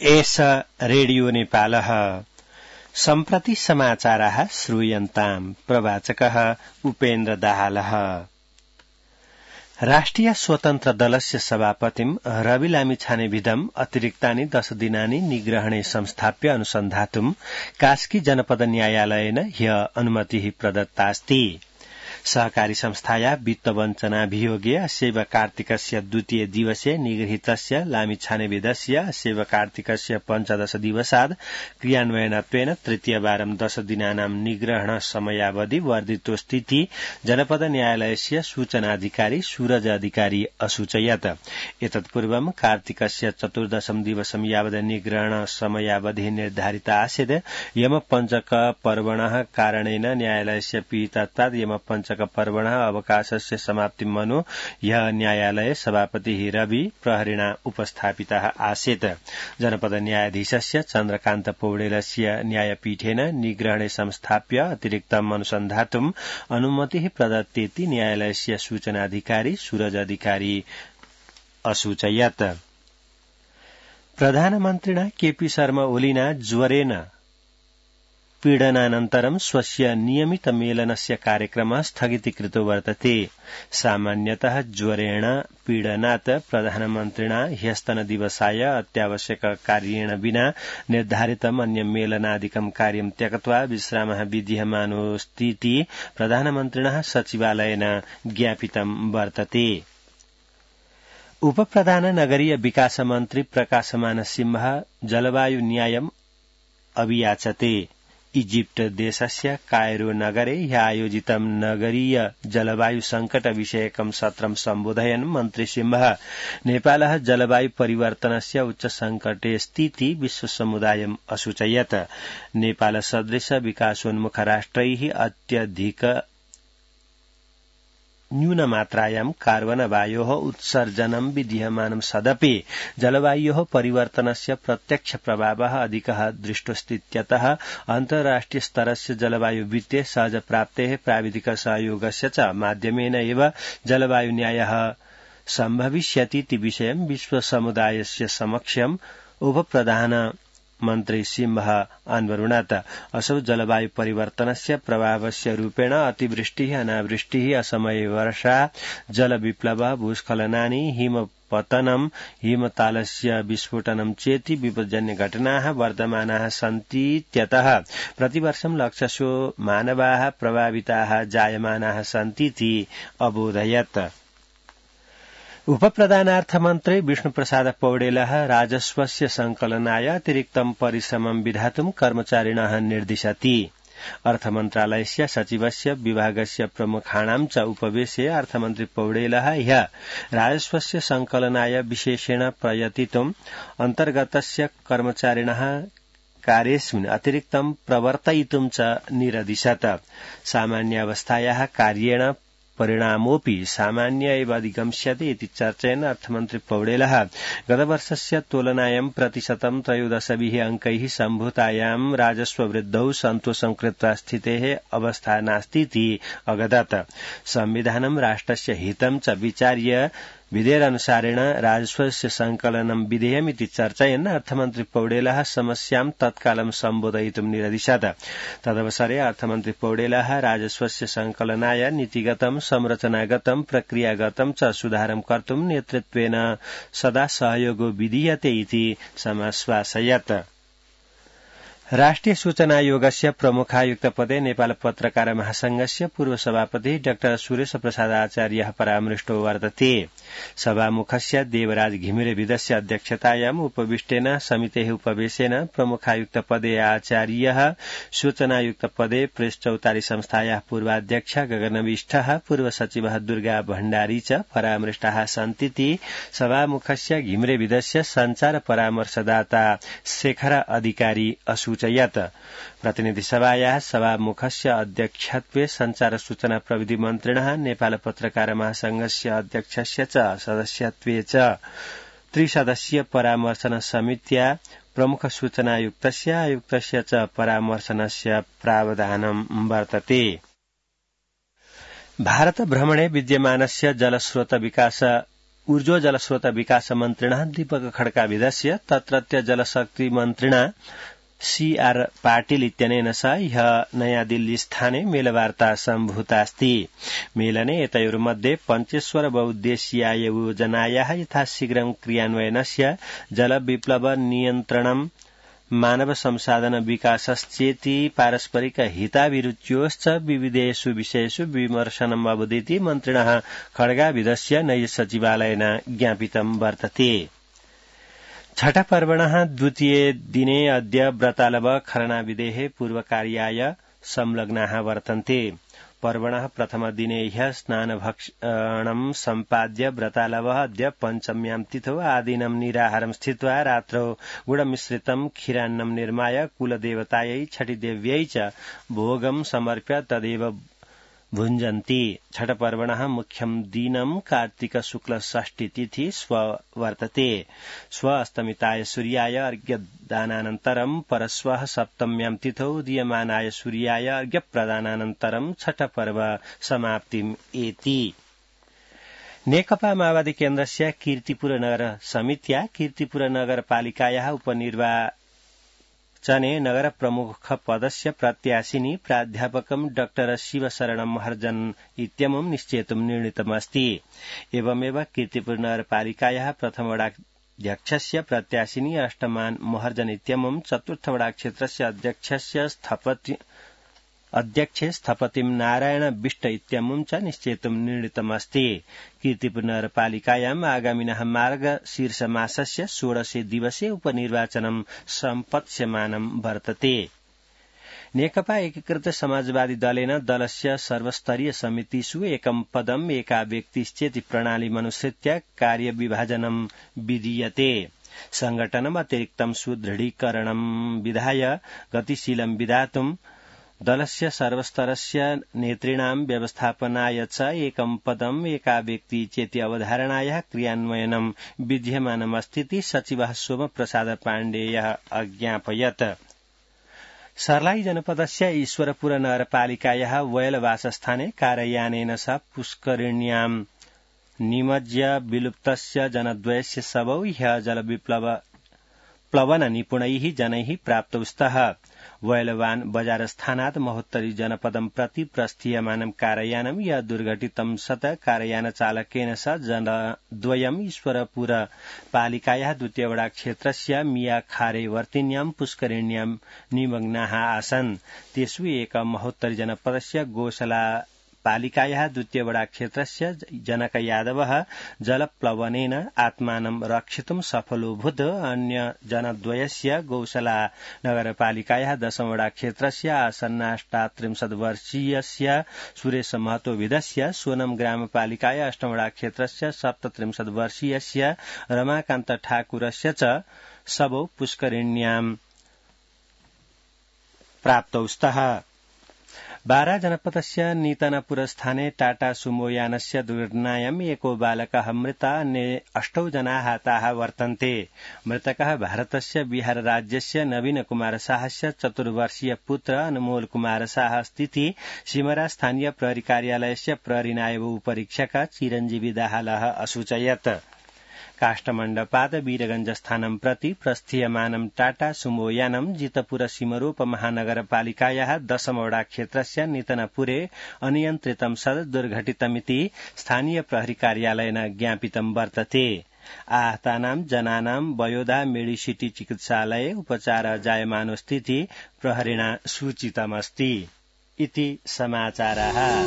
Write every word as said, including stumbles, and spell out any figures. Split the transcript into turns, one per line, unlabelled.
एष रेडियो नेपालः सम्प्रति समाचाराः श्रूयन्ताम् प्रवाचकः उपेन्द्र दाहालः। राष्ट्रिय स्वतन्त्र दलस्य सभापतिम् रवि लामिछानेविधम् अतिरिक्तानि दश दिनानि निग्रहणे संस्थाप्य अनुसन्धातुम् कास्की जनपद न्यायालयेन ह्य अनुमतिः प्रदत्तास्ति। सहकारी संस्थाया वित्तवञ्चनाभियोगे अस्यैव कार्तिकस्य द्वितीय दिवसे निगृहीतस्य लामिछानेविधस्य अस्यैव कार्तिकस्य पञ्चदश दिवसात् क्रियान्वयनत्वेन तृतीयवारं दश दिनानां निग्रहण समयावधि वर्धितोस्तीति जनपद न्यायालयस्य सूचनाधिकारी सूरज अधिकारी असूचयत्। एतत्पूर्वं कार्तिकस्य चतुर्दशं दिवसं यावत् निग्रहण समयावधि निर्धारिता आसीत्। यमपञ्चक पर्वणः कारणेन न्यायालयस्य पीठितात् यमपञ्चक पर्वणः अवकाशस्य समाप्तिम् मनु यः न्यायालये सभापतिः रवि प्रहरिणा उपस्थापितः आसीत्। जनपद न्यायाधीशस्य चन्द्रकान्त पौडेलस्य न्यायपीठेन निग्रहणे संस्थाप्य अतिरिक्तम् अनुसन्धातुम् अनुमतिः प्रदत्तेति न्यायालयस्य सूचनाधिकारी सूरज अधिकारी असूचयत्। प्रधानमन्त्रिणा केपी शर्मा ओलिना ज्वरेण पीडनानन्तरं स्वस्य नियमित मेलनस्य कार्यक्रमः स्थगितीकृतो वर्तते। सामान्यतः ज्वरेण पीडनात् प्रधानमन्त्रिणा ह्यस्तनदिवसाय अत्यावश्यक कार्येण विना निर्धारितम् अन्य मेलनादिकं कार्यं त्यक्त्वा विश्रामः विधीयमानोऽस्तीति प्रधानमन्त्रिणः सचिवालयेन ज्ञापितं वर्तते। उपप्रधान नगरीय विकास मन्त्री प्रकाशमान सिंह जलवायु न्यायम् अभियाचते। इजिप्ट देशस्य कायरो नगरे ह्यायोजितं नगरीय जलवायु संकट विषयकं सत्रं सम्बोधयन् मन्त्री सिंह नेपालः जलवायु परिवर्तनस्य उच्च संकटेस्तीति विश्वसमुदायम् असूचयत्। नेपाल सदृश विकासोन्मुख राष्ट्रैः अत्यधिक न्यूनमात्रायां कार्बन वायोः उत्सर्जनं विधीयमानं सदपि जलवायोः परिवर्तनस्य प्रत्यक्ष प्रभावः अधिकः दृष्टोऽस्तीत्यतः अन्ताराष्ट्रिय स्तरस्य जलवायु वित्ते सहज प्राप्तेः प्राविधिक सहयोगस्य च माध्यमेन एव जलवायु न्यायः सम्भविष्यतीति विषयं विश्वसमुदायस्य समक्षम् उपप्रधान मन्त्री सिंह अन्वरुणात्। असौ जलवायु परिवर्तनस्य प्रभावस्य रूपेण अतिवृष्टिः अनावृष्टिः असमये वर्षा जलविप्लवः भूस्खलनानि हिमपतनं हिमतालस्य विस्फोटनं चेति विपज्जन्य घटनाः वर्धमानाः सन्तीत्यतः प्रतिवर्षं लक्षशो मानवाः प्रभाविताः जायमानाः सन्तीति अबोधयत्। उपप्रधानार्थमन्त्री विष्णुप्रसाद पौडेलः राजस्वस्य संकलनाय अतिरिक्तं परिश्रमं विधातुं कर्मचारिणः निर्दिशति। अर्थमन्त्रालयस्य सचिवस्य विभागस्य प्रमुखाणां च उपवेशे अर्थमन्त्री पौडेलः ह्यः राजस्वस्य संकलनाय विशेषेण प्रयतितुम् अन्तर्गतस्य कर्मचारिणः कार्येऽस्मिन् अतिरिक्तं प्रवर्तयितुं च निरदिशत्। सामान्यावस्थायाः कार्येण परिणामोऽपि सामान्य एव अधिगम्स्यते इति चर्चयन् अर्थमन्त्री पौडेलः गतवर्षस्य तुलनायां प्रतिशतं त्रयोदशभिः अङ्कैः सम्भूतायां राजस्ववृद्धौ सन्तोषं कृत्वा स्थितेः अवस्था नास्तीति अगदत्। संविधानं राष्ट्रस्य हितं च विचार्य विधेयकानुसारेण राजस्वस्य संकलनं विधेयमिति चर्चयन् अर्थमन्त्री पौडेलः समस्यां तत्कालं सम्बोधयितुं निरदिशत्। तदवसरे अर्थमन्त्री पौडेलः राजस्वस्य संकलनाय नीतिगतं संरचनागतं प्रक्रियागतं च सुधारं कर्तुं नेतृत्वेन सदा सहयोगो विधीयते इति समाश्वासयत्। राष्ट्रिय सूचना आयोगस्य प्रमुखायुक्त पदे नेपाल पत्रकार महासंघस्य पूर्व सभापति डाक्टर सुरेश प्रसाद आचार्यः परामृष्टो वर्तते। सभामुखस्य देवराज घिमिरेविदस्य अध्यक्षतायाम् उपविष्टेन समितेः उपवेशेन प्रमुखायुक्त पदे आचार्यः सूचनायुक्त पदे प्रेस चौतारी संस्थायाः पूर्वाध्यक्ष गगनविष्ठः पूर्व सचिवः दुर्गा भण्डारी च परामृष्टाः सन्तीति सभामुखस्य घिमिरेविदस्य संचार परामर्शदाता शेखर अधिकारी असूचयत्। प्रतिनिधि सभायाः सभामुखस्य अध्यक्षत्वे संचार सूचना प्रविधि मन्त्रिणः नेपाल पत्रकार महासंघस्य अध्यक्षस्य च सदस्यत्वे च त्रिसदस्यीय परामर्शन समित्या प्रमुख सूचनायुक्तस्य आयुक्तस्य च परामर्शनस्य प्रावधानं वर्तते। भारत भ्रमणे विद्यमानस्य जलस्रोत विकास ऊर्जो जलस्रोत विकास मन्त्रिणः दीपक खड्काभिधस्य तत्रत्य जलशक्ति मन्त्रिणा सीआर पाटिल इत्यनेन सह ह्यः नयादिल्लीस्थाने मेलवार्ता सम्भूतास्ति। मेलने एतयोर्मध्ये पञ्चेश्वर बहुउद्देश्याय योजनायाः यथाशीघ्रं क्रियान्वयनस्य जलविप्लव नियन्त्रणं मानव संसाधन विकासश्चेति पारस्परिक हिताभिरुच्योश्च विविधेषु विषयेषु विमर्शनम् अवदीति मन्त्रिणः खड्गाभिधस्य नैज सचिवालयेन ज्ञापितं वर्तते। छठपर्वणः द्वितीये दिने अद्य व्रतालव खरणाविधेः पूर्वकार्याय संलग्नाः वर्तन्ते। पर्वणः प्रथमदिने ह्यः स्नानभक्षणं सम्पाद्य व्रतालवः अद्य पञ्चम्यां तिथौ आदिनं निराहारं स्थित्वा रात्रौ गुडमिश्रितं क्षीरान्नं निर्माय कुलदेवतायै छठिदेव्यै च भोगं समर्प्य तदेव भुञ्जन्ति। छठपर्वणः मुख्यं दिनं कार्तिक शुक्ल षष्ठी तिथि स्व वर्तते। स्व अस्तमिताय सूर्याय अर्घ्यदानानन्तरं परश्वः सप्तम्यां तिथौ उदीयमानाय सूर्याय अर्घ्यप्रदानानन्तरं छठपर्व समाप्तिम् एति। नेकपा माओवादी केन्द्रस्य कीर्तिपुर नगर समित्या कीर्तिपुर नगरपालिकायाः उपनिर्वाचने नगर प्रमुख पदस्य प्रत्याशिनी प्राध्यापकं डाक्टर शिवशरणं महर्जन इत्यमुं निश्चेतुं निर्णीतमस्ति। एवमेव कीर्तिपुर नगरपालिकायाः प्रथमवडाध्यक्षस्य प्रत्याशिनी अष्टमान महर्जन इत्यमुं चतुर्थवडाक्षेत्रस्य अध्यक्षस्य स्थपति अध्यक्षे स्थपतिं नारायण बिष्ट इत्यमुं च निश्चेतुं निर्णीतमस्ति। कीर्तिपुर नगरपालिकायाम् आगामिनः मार्गशीर्षमासस्य षोडशे दिवसे उपनिर्वाचनं सम्पत्स्यमानं वर्तते। नेकपा एकीकृत समाजवादी दलेन दलस्य सर्वस्तरीय समितिषु एकं पदम् एका व्यक्तिश्चेति प्रणालीमनुसृत्य कार्यविभाजनं विधीयते। संघटनम् अतिरिक्तं सुदृढीकरणं विधाय गतिशीलं विधातुं दलस्य सर्वस्तरस्य नेतॄणां व्यवस्थापनाय च एकं पदम् एका व्यक्ति चेति अवधारणायाः क्रियान्वयनं विद्यमानमस्तीति सचिवः सोमप्रसाद पाण्डेयः अज्ञापयत्। सर्लाई जनपदस्य ईश्वरपुर नगरपालिकायाः वयलवासस्थाने कारयानेन सह पुष्करिण्यां निमज्य विलुप्तस्य जनद्वयस्य शवौ ह्यः जलविप्लव प्लवन निपुणैः जनैः प्राप्तौ स्तः। वयलवान बजारस्थानात् महोत्तरी जनपदं प्रति प्रस्थीयमानं कारयानं यः दुर्घटितं सत् कारयानचालकेन सह जनद्वयम् ईश्वरपुर पालिकायाः द्वितीयवडाक्षेत्रस्य मियाखारे वर्तिन्यां पुष्करिण्यां निमग्नाः आसन्। तेषु एक महोत्तरी जनपदस्य गोशला पालिकायाः द्वितीयवडाक्षेत्रस्य जनक यादवः जलप्लवनेन आत्मानं रक्षितुं सफलोऽभूत्। अन्य जनद्वयस्य गौशला नगरपालिकायाः दशमवडाक्षेत्रस्य आसन्नाष्टात्रिंशत् वर्षीयस्य सुरेश महतोविधस्य सोनम ग्रामपालिकायाः अष्टमवडाक्षेत्रस्य सप्तत्रिंशत् वर्षीयस्य रमाकान्त ठाकुरस्य च शवौ पुष्करिण्यां प्राप्तौ स्तः। बारा जनपदस्य नीतनपुरस्थाने टाटा सुमो यानस्य दुर्घटनायाम् एको बालकः मृतः, अन्ये अष्टौ जनाः हताः वर्तन्ते। मृतकः भारतस्य बिहार राज्यस्य नवीन कुमार साहस्य चतुर्वर्षीय पुत्र अनमोल कुमार साह अस्तीति सिमरा स्थानीय प्रहरी कार्यालयस्य प्रहरी नायब उपरीक्षक चिरञ्जीवी दाहालः असूचयत्। काष्ठमण्डपात् वीरगंजस्थानं प्रति प्रस्थीयमानं टाटा सुमो यानं जितपुर सिमरोप महानगरपालिकायाः दशमवडाक्षेत्रस्य नितनपुरे अनियन्त्रितं सद् दुर्घटितमिति स्थानीय प्रहरी कार्यालयेन ज्ञापितं वर्तते। आहतानां जनानां वयोधा मेडिसिटी चिकित्सालये उपचार जायमानोऽस्तीति प्रहरिणा सूचितमस्ति। इति समाचाराः।